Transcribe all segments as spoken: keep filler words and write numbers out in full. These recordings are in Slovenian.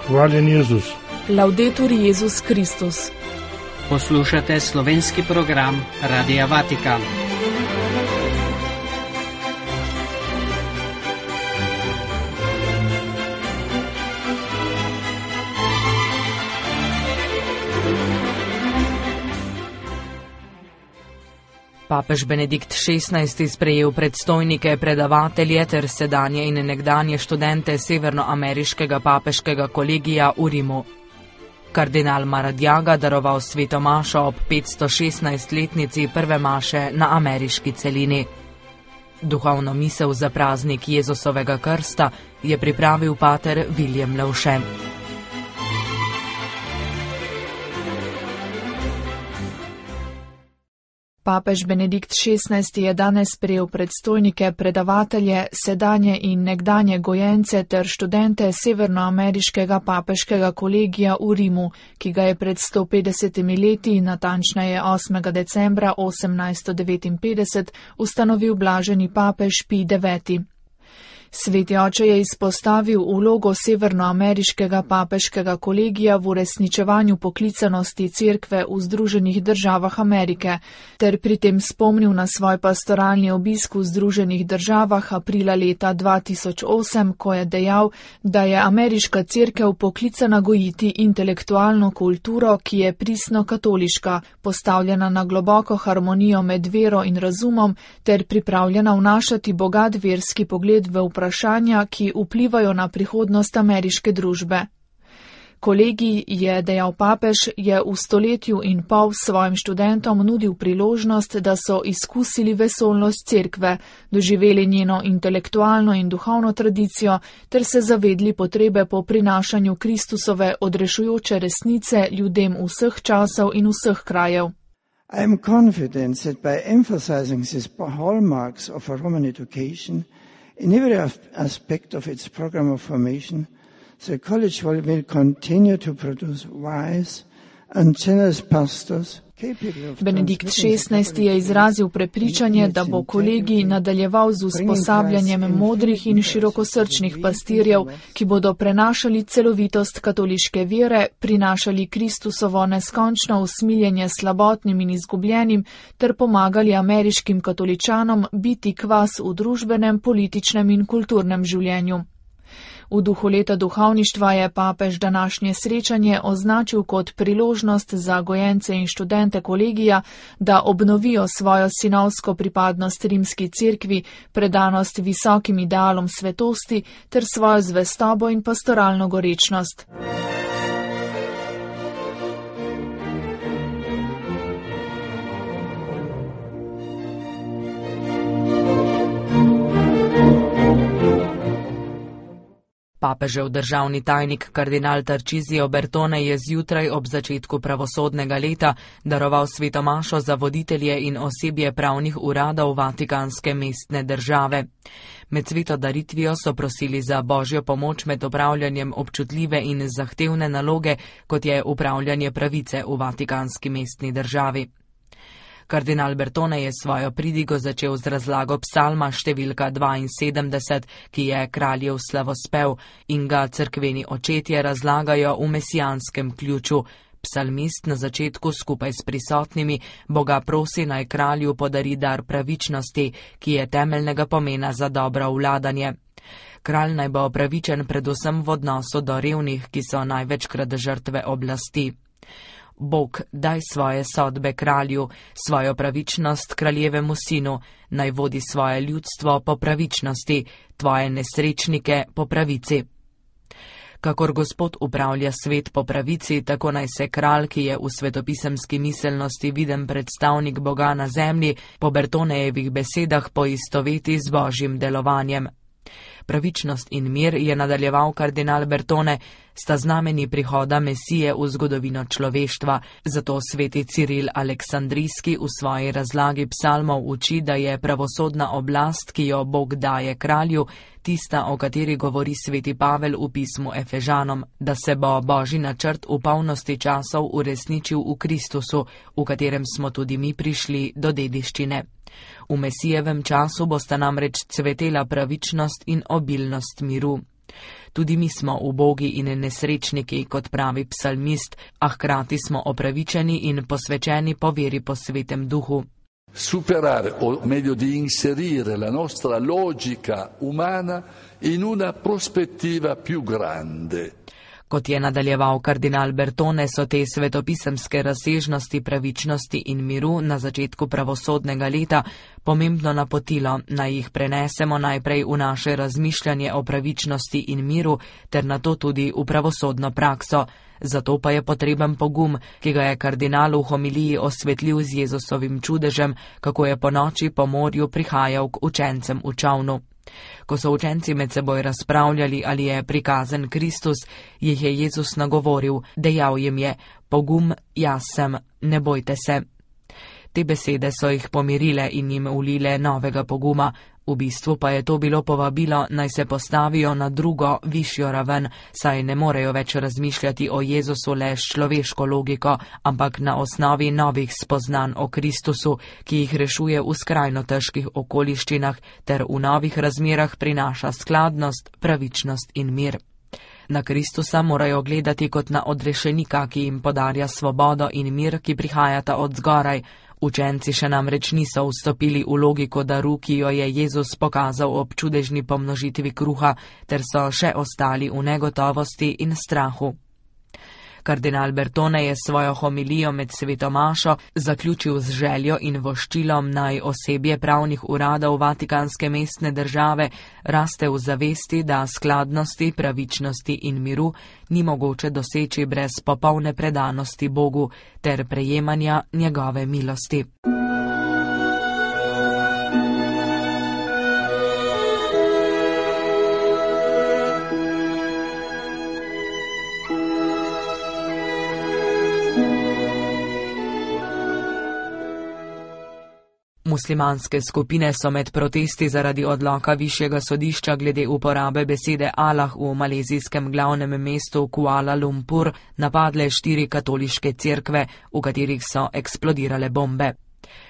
Hvaljen Jezus. Laudetur Jezus Kristus. Poslušate slovenski program Radia Vatikan. Papež Benedikt šestnajsti sprejel predstojnike, predavatelje ter sedanje in nekdanje študente Severnoameriškega papeškega kolegija v Rimu. Kardinal Maradiaga daroval sveto mašo ob petsto šestnajstletnici prve maše na ameriški celini. Duhovno misel za praznik Jezusovega krsta je pripravil pater William Levše. Papež Benedikt šestnajsti je danes sprejel predstojnike, predavatelje, sedanje in nekdanje gojence ter študente Severnoameriškega papeškega kolegija v Rimu, ki ga je pred sto petdesetimi leti, natančneje osmega decembra osemnajststo devetinpetdeset, ustanovil blaženi papež Pij deveti. Sveti oče je izpostavil vlogo Severnoameriškega papeškega kolegija v uresničevanju poklicanosti cerkve v Združenih državah Amerike, ter pri tem spomnil na svoj pastoralni obisk v Združenih državah aprila leta dva tisoč osem, ko je dejal, da je ameriška cerkev poklicana gojiti intelektualno kulturo, ki je pristno katoliška, postavljena na globoko harmonijo med vero in razumom, ter pripravljena vnašati bogat verski pogled v vprašanje, vprašanja, ki vplivajo na prihodnost ameriške družbe. Kolegij, je dejal papež, je v stoletju in pol svojim študentom nudil priložnost, da so izkusili vesolnost cerkve, doživeli njeno intelektualno in duhovno tradicijo ter se zavedli potrebe po prinašanju Kristusove odrešujoče resnice ljudem vseh časov in vseh krajev. I am confident that by emphasizing these hallmarks of a Roman education in every aspect of its program of formation, the college will continue to produce wise and generous pastors. Benedikt šestnajsti je izrazil prepričanje, da bo kolegij nadaljeval z usposabljanjem modrih in širokosrčnih pastirjev, ki bodo prenašali celovitost katoliške vere, prinašali Kristusovo neskončno usmiljenje slabotnim in izgubljenim ter pomagali ameriškim katoličanom biti kvas v družbenem, političnem in kulturnem življenju. V duhu leta duhovništva je papež današnje srečanje označil kot priložnost za gojence in študente kolegija, da obnovijo svojo sinovsko pripadnost rimski cerkvi, predanost visokim idealom svetosti ter svojo zvestobo in pastoralno gorečnost. Papežev državni tajnik kardinal Tarcisio Bertone je zjutraj ob začetku pravosodnega leta daroval sveto mašo za voditelje in osebje pravnih uradov Vatikanske mestne države. Med sveto daritvijo so prosili za božjo pomoč med opravljanjem občutljive in zahtevne naloge, kot je upravljanje pravice v Vatikanski mestni državi. Kardinal Bertone je svojo pridigo začel z razlago psalma številka dvainsedemdeset, ki je kraljev slavospev in ga cerkveni očetje razlagajo v mesijanskem ključu. Psalmist na začetku skupaj s prisotnimi Boga prosi naj kralju podari dar pravičnosti, ki je temeljnega pomena za dobro vladanje. Kralj naj bo pravičen predvsem v odnosu do revnih, ki so največkrat žrtve oblasti. Bog, daj svoje sodbe kralju, svojo pravičnost kraljevemu sinu, naj vodi svoje ljudstvo po pravičnosti, tvoje nesrečnike po pravici. Kakor Gospod upravlja svet po pravici, tako naj se kralj, ki je v svetopisemski miselnosti viden predstavnik Boga na zemlji, po Bertonejevih besedah poistoveti z božjim delovanjem. Pravičnost in mir, je nadaljeval kardinal Bertone, sta znameni prihoda Mesije v zgodovino človeštva, zato sveti Ciril Aleksandrijski v svoji razlagi psalmov uči, da je pravosodna oblast, ki jo Bog daje kralju, tista, o kateri govori sveti Pavel v pismu Efežanom, da se bo božji načrt v polnosti časov uresničil v Kristusu, v katerem smo tudi mi prišli do dediščine. V Mesijevem času bosta namreč cvetela pravičnost in obilnost miru. Tudi mi smo ubogi in nesrečniki, kot pravi psalmist, a hkrati smo opravičeni in posvečeni po veri po Svetem Duhu. Superare, o meglio di inserire la nostra logica umana in una prospettiva più grande. Kot je nadaljeval kardinal Bertone, so te svetopisemske razsežnosti pravičnosti in miru na začetku pravosodnega leta pomembno napotilo, naj jih prenesemo najprej v naše razmišljanje o pravičnosti in miru, ter nato tudi v pravosodno prakso. Zato pa je potreben pogum, ki ga je kardinal v homiliji osvetlil z Jezusovim čudežem, kako je po noči po morju prihajal k učencem v čolnu. Ko so učenci med seboj razpravljali, ali je prikazen Kristus, jih je Jezus nagovoril, dejal jim je: pogum, jaz sem, ne bojte se. Te besede so jih pomirile in jim vlile novega poguma. V bistvu pa je to bilo povabilo, naj se postavijo na drugo, višjo raven, saj ne morejo več razmišljati o Jezusu le s človeško logiko, ampak na osnovi novih spoznanj o Kristusu, ki jih rešuje v skrajno težkih okoliščinah ter v novih razmerah prinaša skladnost, pravičnost in mir. Na Kristusa morajo gledati kot na odrešenika, ki jim podarja svobodo in mir, ki prihajata od zgoraj. Učenci še namreč niso vstopili v logiko daru, ki jo je Jezus pokazal ob čudežni pomnožitvi kruha, ter so še ostali v negotovosti in strahu. Kardinal Bertone je svojo homilijo med sveto mašo zaključil z željo in voščilom, naj osebje pravnih uradov Vatikanske mestne države raste v zavesti, da skladnosti, pravičnosti in miru ni mogoče doseči brez popolne predanosti Bogu ter prejemanja njegove milosti. Muslimanske skupine so med protesti zaradi odloka višjega sodišča glede uporabe besede Allah v malezijskem glavnem mestu Kuala Lumpur napadle štiri katoliške cerkve, v katerih so eksplodirale bombe.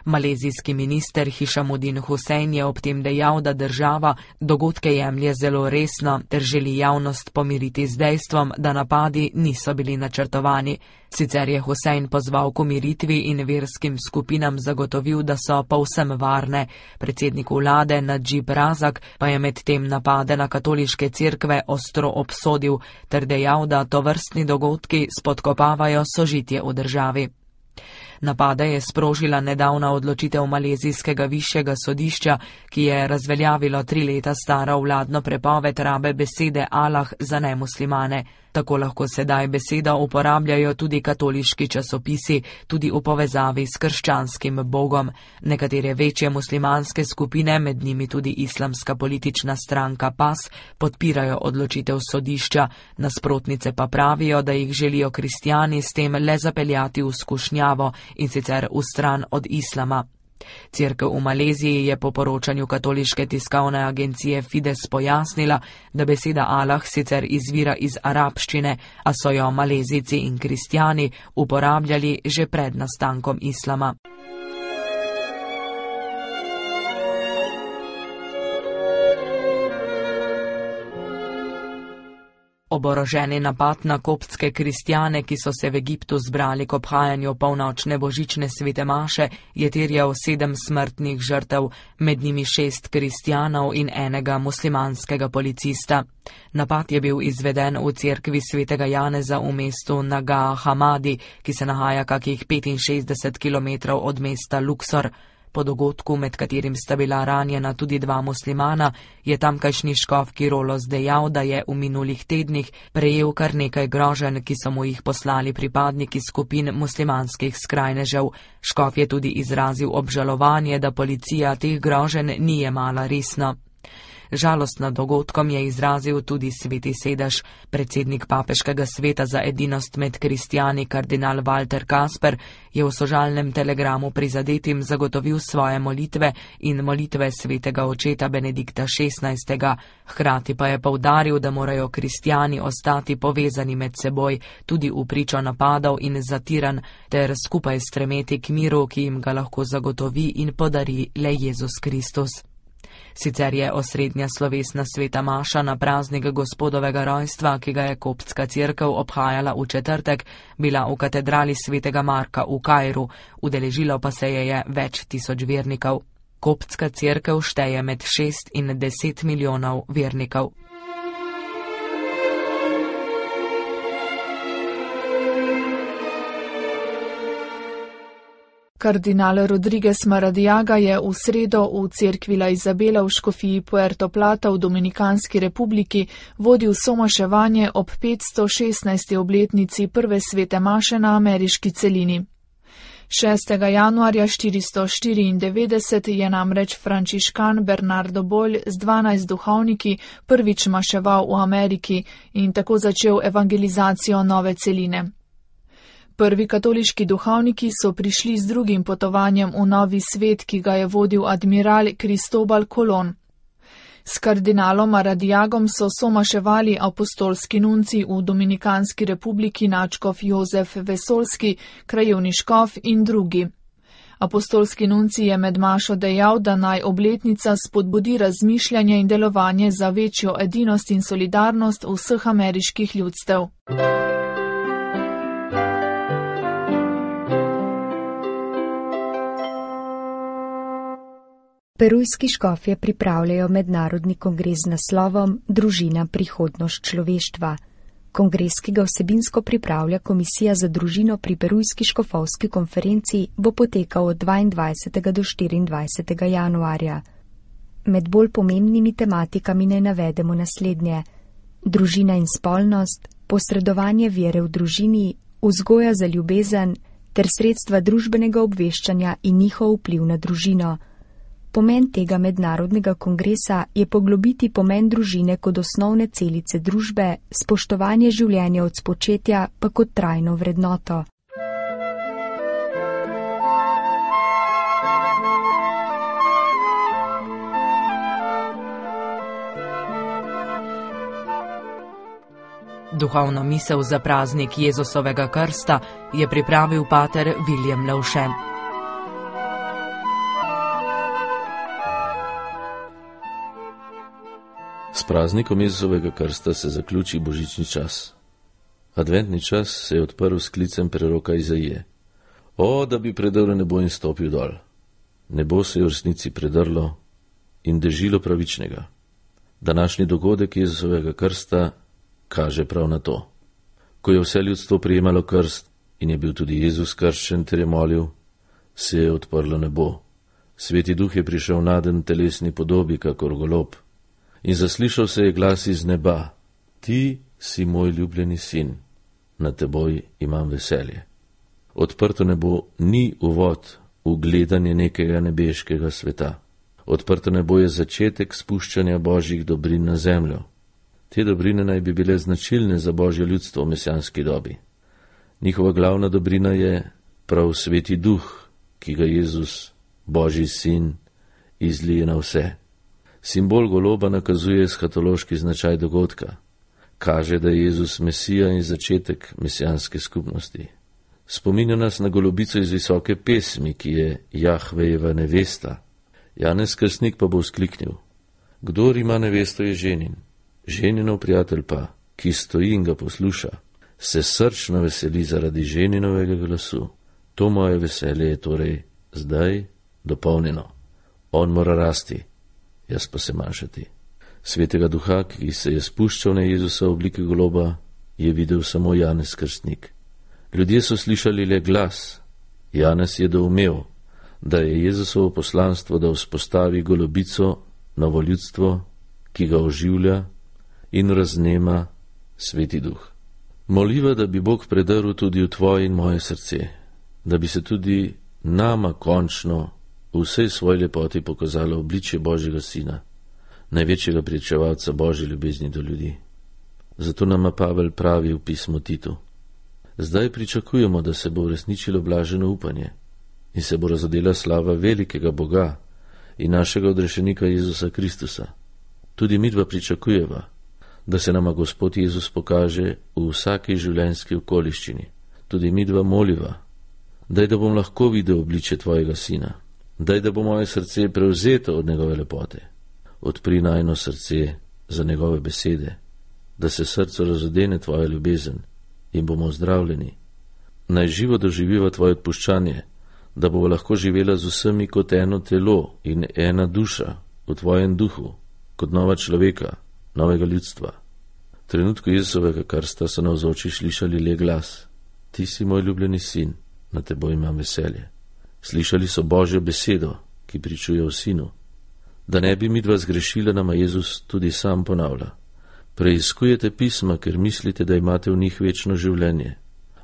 Malezijski minister Hishamuddin Hussein je ob tem dejal, da država dogodke jemlje zelo resno ter želi javnost pomiriti z dejstvom, da napadi niso bili načrtovani. Sicer je Hussein pozval k umiritvi in verskim skupinam zagotovil, da so povsem varne. Predsednik vlade Nadžib Razak pa je med tem napade na katoliške cerkve ostro obsodil ter dejal, da tovrstni dogodki spodkopavajo sožitje v državi. Napade je sprožila nedavna odločitev malezijskega višjega sodišča, ki je razveljavilo tri leta staro vladno prepoved rabe besede Allah za nemuslimane. Tako lahko sedaj besedo uporabljajo tudi katoliški časopisi, tudi v povezavi s krščanskim bogom. Nekatere večje muslimanske skupine, med njimi tudi islamska politična stranka P A S, podpirajo odločitev sodišča, nasprotnice pa pravijo, da jih želijo kristjani s tem le zapeljati v skušnjavo in sicer v stran od islama. Cerkev v Maleziji je po poročanju katoliške tiskovne agencije Fides pojasnila, da beseda Allah sicer izvira iz arabščine, a so jo Malezijci in kristjani uporabljali že pred nastankom islama. Oboroženi napad na koptske kristjane, ki so se v Egiptu zbrali k obhajanju polnočne božične svete maše, je terjal sedem smrtnih žrtev, med njimi šest kristjanov in enega muslimanskega policista. Napad je bil izveden v cerkvi svetega Janeza v mestu Naga Hamadi, ki se nahaja kakih petinšestdeset kilometrov od mesta Luksor. Po dogodku, med katerim sta bila ranjena tudi dva muslimana, je tamkajšnji škof Kirolos dejal, da je v minulih tednih prejel kar nekaj groženj, ki so mu jih poslali pripadniki skupin muslimanskih skrajnežev. Škof je tudi izrazil obžalovanje, da policija teh groženj ni jemala resno. Žalost nad dogodkom je izrazil tudi sveti sedež. Predsednik papeškega sveta za edinost med kristjani kardinal Walter Kasper je v sožalnem telegramu prizadetim zagotovil svoje molitve in molitve svetega očeta Benedikta šestnajstega. Hkrati pa je poudaril, da morajo kristjani ostati povezani med seboj tudi v pričo napadov in zatiranj ter skupaj stremeti k miru, ki jim ga lahko zagotovi in podari le Jezus Kristus. Sicer je osrednja slovesna sveta maša na praznik Gospodovega rojstva, ki ga je koptska cerkev obhajala v četrtek, bila v katedrali svetega Marka v Kairu, udeležilo pa se je, je več tisoč vernikov. Koptska cerkev šteje med šest in deset milijonov vernikov. Kardinal Rodriguez Maradiaga je v sredo v cerkvi La Isabela v škofiji Puerto Plata v Dominikanski republiki vodil somaševanje ob petsto šestnajsti obletnici prve svete maše na ameriški celini. šestega januarja štiristo štiriindevetdeset je namreč frančiškan Bernardo Bolj z dvanajst duhovniki prvič maševal v Ameriki in tako začel evangelizacijo nove celine. Prvi katoliški duhovniki so prišli z drugim potovanjem v novi svet, ki ga je vodil admiral Cristobal Colon. S kardinalom Maradiagom so somaševali apostolski nunci v Dominikanski republiki nadškof Jozef Vesolski, krajevni škof in drugi. Apostolski nunci je med mašo dejal, da naj obletnica spodbudi razmišljanje in delovanje za večjo edinost in solidarnost vseh ameriških ljudstev. Perujski škofje pripravljajo mednarodni kongres z naslovom Družina prihodnost človeštva. Kongres, ki ga vsebinsko pripravlja Komisija za družino pri Perujski škofovski konferenci, bo potekal od dvaindvajsetega do štiriindvajsetega januarja. Med bolj pomembnimi tematikami ne navedemo naslednje: družina in spolnost, posredovanje vere v družini, vzgoja za ljubezen ter sredstva družbenega obveščanja in njihov vpliv na družino. Pomen tega mednarodnega kongresa je poglobiti pomen družine kot osnovne celice družbe, spoštovanje življenja od spočetja pa kot trajno vrednoto. Duhovno misel za praznik Jezusovega krsta je pripravil pater William Lavše. S praznikom Jezusovega krsta se zaključi božični čas. Adventni čas se je odprl s klicem preroka Izaije. O, da bi predrl nebo in stopil dol. Nebo se je v resnici predrlo in dežilo pravičnega. Današnji dogodek Jezusovega krsta kaže prav na to. Ko je vse ljudstvo prijemalo krst in je bil tudi Jezus krščen ter je molil, se je odprlo nebo. Sveti duh je prišel naden telesni podobi, kakor golob. In zaslišal se je glas iz neba: Ti si moj ljubljeni sin, na teboj imam veselje. Odprto nebo ni uvod v gledanje nekega nebeškega sveta. Odprto nebo je začetek spuščanja božjih dobrin na zemljo. Te dobrine naj bi bile značilne za božje ljudstvo v mesijanski dobi. Njihova glavna dobrina je prav sveti duh, ki ga Jezus, božji sin, izlije na vse. Simbol goloba nakazuje eschatološki značaj dogodka. Kaže, da je Jezus Mesija in začetek mesijanske skupnosti. Spominja nas na golobico iz visoke pesmi, ki je Jahvejeva nevesta. Janez Krstnik pa bo vzkliknil: Kdor ima nevesto, je ženin. Ženinov prijatelj pa, ki stoji in ga posluša, se srčno veseli zaradi ženinovega glasu. To moje veselje je torej zdaj dopolnjeno. On mora rasti, jaz pa se manjšati. Svetega duha, ki se je spuščal na Jezusa v obliki goloba, je videl samo Janez Krstnik. Ljudje so slišali le glas. Janez je doumel, da je Jezusovo poslanstvo, da vzpostavi golobico, novo ljudstvo, ki ga oživlja in raznema sveti duh. Moliva, da bi Bog predrl tudi v tvoje in moje srce, da bi se tudi nama končno v vsej svoji lepoti pokazalo obličje Božjega sina, največjega pričevalca Božje ljubezni do ljudi. Zato nama Pavel pravi v pismu Titu: Zdaj pričakujemo, da se bo uresničilo blaženo upanje in se bo razodela slava velikega Boga in našega odrešenika Jezusa Kristusa. Tudi midva pričakujeva, da se nama Gospod Jezus pokaže v vsaki življenjski okoliščini. Tudi midva moliva: daj, da bom lahko videl obličje tvojega sina, daj, da bo moje srce prevzeto od njegove lepote, odpri najino srce za njegove besede, da se srcu razodene tvoja ljubezen in bomo ozdravljeni. Naj živo doživiva tvoje odpuščanje, da bo lahko živela z vsemi kot eno telo in ena duša v tvojem duhu, kot nova človeka, novega ljudstva. V trenutku Jezusovega krsta so navzoči slišali le glas: Ti si moj ljubljeni sin, na teboj imam veselje. Slišali so Božjo besedo, ki pričuje o sinu. Da ne bi midva zgrešila, nama Jezus tudi sam ponavlja: Preiskujete pisma, ker mislite, da imate v njih večno življenje,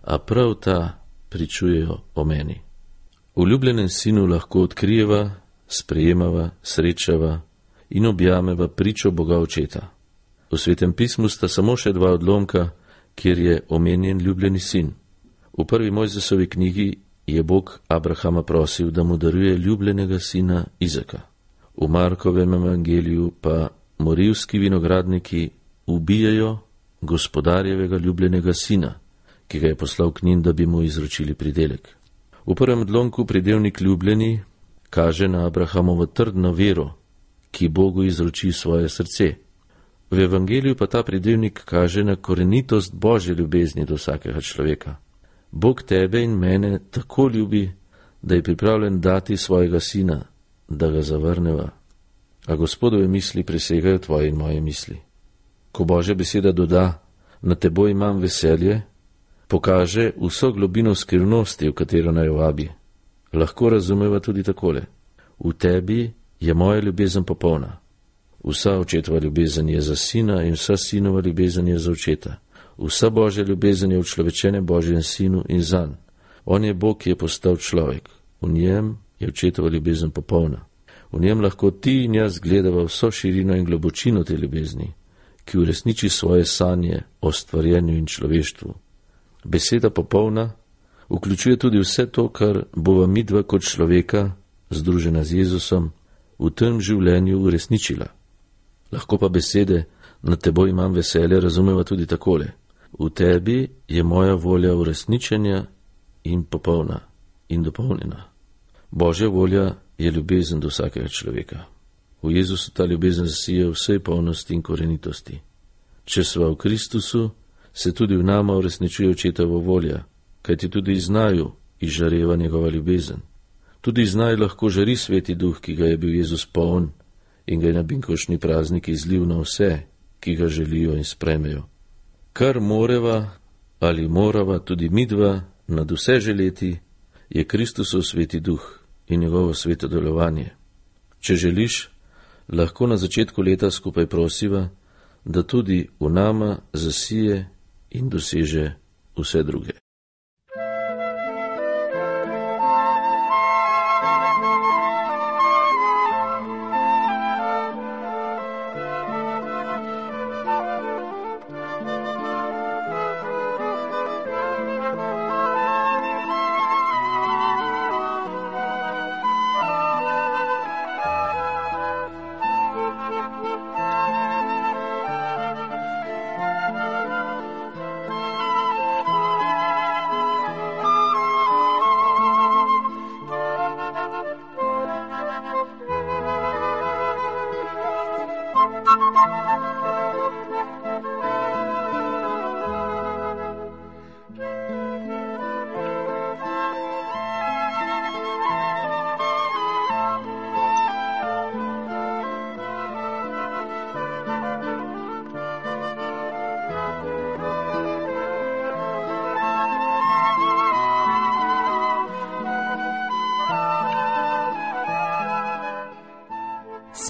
a prav ta pričujejo o meni. V ljubljenem sinu lahko odkrijeva, sprejemava, srečava in objameva pričo Boga Očeta. V Svetem pismu sta samo še dva odlomka, kjer je omenjen ljubljeni sin. V prvi Mojzesovi knjigi je Bog Abrahama prosil, da mu daruje ljubljenega sina Izaka. V Markovem evangeliju pa morilski vinogradniki ubijajo gospodarjevega ljubljenega sina, ki ga je poslal k njim, da bi mu izročili pridelek. V prvem odlomku pridevnik ljubljeni kaže na Abrahamovo trdno vero, ki Bogu izroči svoje srce. V evangeliju pa ta pridevnik kaže na korenitost Božje ljubezni do vsakega človeka. Bog tebe in mene tako ljubi, da je pripravljen dati svojega sina, da ga zavrneva. A Gospodove misli presegajo tvoje in moje misli. Ko Božja beseda doda: Na teboj imam veselje, pokaže vso globino skrivnosti, v katero naj vabi. Lahko razumeva tudi takole: v tebi je moja ljubezen popolna. Vsa očetova ljubezen je za sina in vsa sinova ljubezen je za očeta. Vsa Božja ljubezen je učlovečene Božjem sinu in zanj. On je Bog, ki je postal človek. V njem je očetova ljubezen popolna. V njem lahko ti in jaz gledava vso širino in globočino te ljubezni, ki uresniči svoje sanje o stvarjenju in človeštvu. Beseda popolna vključuje tudi vse to, kar bova midva kot človeka, združena z Jezusom, v tem življenju uresničila. Lahko pa besede na teboj imam veselje razumeva tudi takole: v tebi je moja volja uresničenja in popolna in dopolnjena. Božja volja je ljubezen do vsakega človeka. V Jezusu ta ljubezen zasije vsej polnosti in korenitosti. Če sva v Kristusu, se tudi v nama uresničuje očetovo volja, kajti tudi iz naju izžareva njegova ljubezen. Tudi iz naju lahko žari Sveti Duh, ki ga je bil Jezus poln in ga je na binkoštni praznik izlil na vse, ki ga želijo in sprejmejo. Kar moreva ali morava tudi midva nad vse želeti, je Kristusov Sveti Duh in njegovo sveto delovanje. Če želiš, lahko na začetku leta skupaj prosiva, da tudi v nama zasije in doseže vse druge.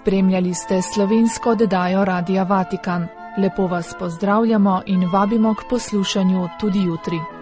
Spremljali ste slovensko oddajo Radia Vatikan. Lepo vas pozdravljamo in vabimo k poslušanju tudi jutri.